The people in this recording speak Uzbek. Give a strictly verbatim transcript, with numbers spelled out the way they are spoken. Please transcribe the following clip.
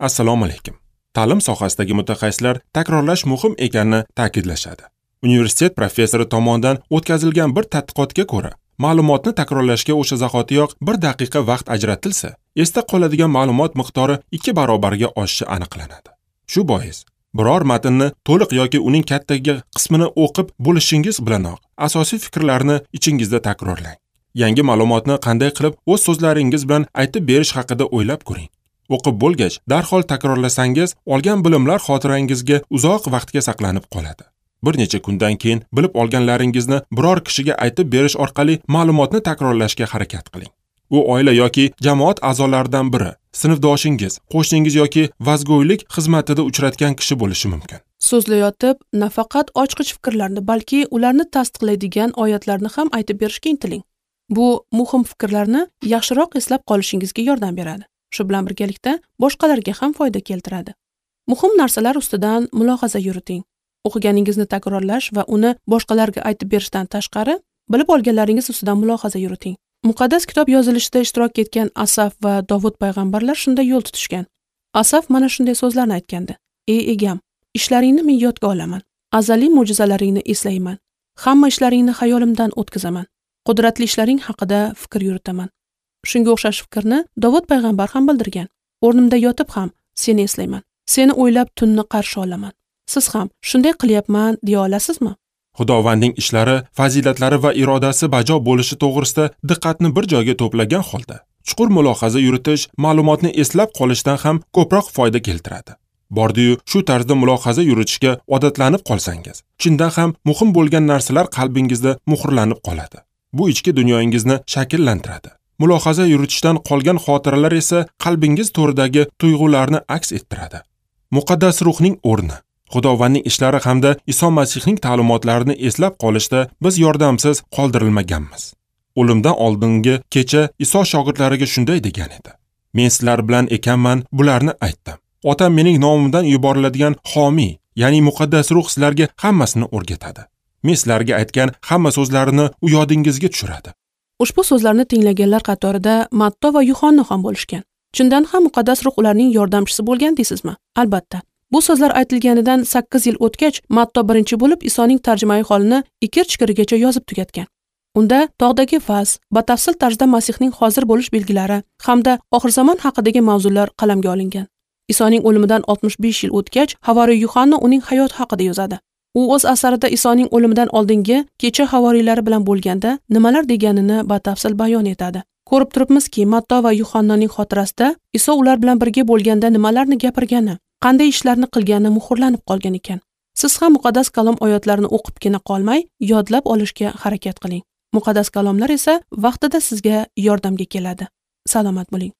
Assalomu alaykum. Ta'lim sohasidagi mutaxassislar takrorlash muhim ekanini ta'kidlashadi. Universitet professori tomonidan o'tkazilgan bir tadqiqotga ko'ra, ma'lumotni takrorlashga o'sha zahotiyoq bir daqiqa vaqt ajratilsa, esda qoladigan ma'lumot miqdori ikki barobarga oshishi aniqlanadi. Shu bois, biror matnni to'liq yoki uning kattaga qismini o'qib bo'lishingiz bilanoq asosiy fikrlarni ichingizda takrorlang. Yangi ma'lumotni qanday qilib o'z so'zlaringiz bilan aytib berish haqida o'ylab ko'ring. O'qib bo'lgach, darhol takrorlasangiz, olgan bilimlar xotirangizga uzoq vaqtga saqlanib qoladi. Bir necha kundan keyin bilib olganlaringizni biror kishiga aytib berish orqali ma'lumotni takrorlashga harakat qiling. U oila yoki jamoat a'zolaridan biri, sinfdoshingiz, qo'shningiz yoki vazgo'ylik xizmatida uchratgan kishi bo'lishi mumkin. So'zlayotib, nafaqat ochqich fikrlarni, balki ularni tasdiqlaydigan oyatlarni ham aytib berishga intiling. Bu muhim fikrlarni yaxshiroq eslab qolishingizga yordam beradi. Shu bilan birgalikda boshqalarga ham foyda keltiradi. Muhim narsalar ustidan mulohaza yuriting. O'qiganingizni takrorlash va uni boshqalarga aytib berishdan tashqari, bilib olganlaringiz ustidan mulohaza yuriting. Muqaddas kitob yozilishida ishtirok etgan Asaf va Dovud payg'ambarlar shunday yo'l tutishgan. Asaf mana shunday so'zlarni aytgandi: "Ey egam, ishlaringni men yodga olaman. Azaliy mo'jizalaringni eslayman. Hamma ishlaringni xayolimdan o'tkazaman. Qudratli ishlaring haqida fikr yuritaman." Shunga o'xshash fikrni Dovud payg'ambar ham bildirgan. "O'rnimda yotib ham seni eslayman. Seni o'ylab tunni qarshi olaman." Siz ham shunday qilyapman deya olasizmi? Xudovandning ishlari, fazilatlari va irodasi bajo bo'lishi to'g'risida diqqatni bir joyga to'plagan holda chuqur mulohaza yuritish ma'lumotni eslab qolishdan ham ko'proq foyda keltiradi. Bordi-yu shu tarzda mulohaza yuritishga odatlanib qolsangiz, chindan ham muhim bo'lgan narsalar qalbingizda muhrlanib qoladi. Bu ichki dunyoingizni shakllantiradi. Mulohaza yuritishdan qolgan xotiralar esa qalbingiz to'ridagi tuyg'ularni aks ettiradi. Muqaddas ruhning o'rni Xudovandning ishlari hamda Iso Masihning ta'limotlarini eslab qolishda biz yordamsiz qoldirilmaganmiz. O'limdan oldingi kecha Iso shogirdlariga shunday degan edi: "Men sizlar bilan ekanman, bularni aytdim. Otam mening nomimdan yuboriladigan xomiy, ya'ni muqaddas ruh sizlarga hammasini o'rgatadi. Men sizlarga aytgan hamma so'zlarini u yodingizga tushiradi." Ushbu so'zlarni tinglaganlar qatorida Matto va Yuhanna ham bo'lishgan. Chindan ham muqaddas ruh ularning yordamchisi bo'lgan deysizmi? Albatta. Bu so'zlar aytilganidan sakkiz yil o'tgach, Matto birinchi bo'lib Isoning tarjimai holini ikir-chikirigacha yozib tugatgan. Unda tog'dagi vaz, batafsil tarzda Masihning hozir bo'lish belgilari hamda oxir zamon haqidagi mavzular qalamga olingan. Isoning o'limidan oltmish besh yil o'tgach, havoriy Yuhanna uning hayoti haqida yozadi. U o'z asarida Isoning o'limidan oldingi kecha havoriylari bilan bo'lganda nimalar deganini batafsil bayon etadi. Ko'rib turibmizki, Matto va Yuhannaning xotirasida Iso ular bilan birga bo'lganda nimalarni gapirgani, qanday ishlarni qilgani muhrlanib qolgan ekan. Siz ham muqaddas kalom oyatlarini o'qibgina qolmay, yodlab olishga harakat qiling. Muqaddas kalomlar esa vaqtida sizga yordamga keladi. Salomat bo'ling.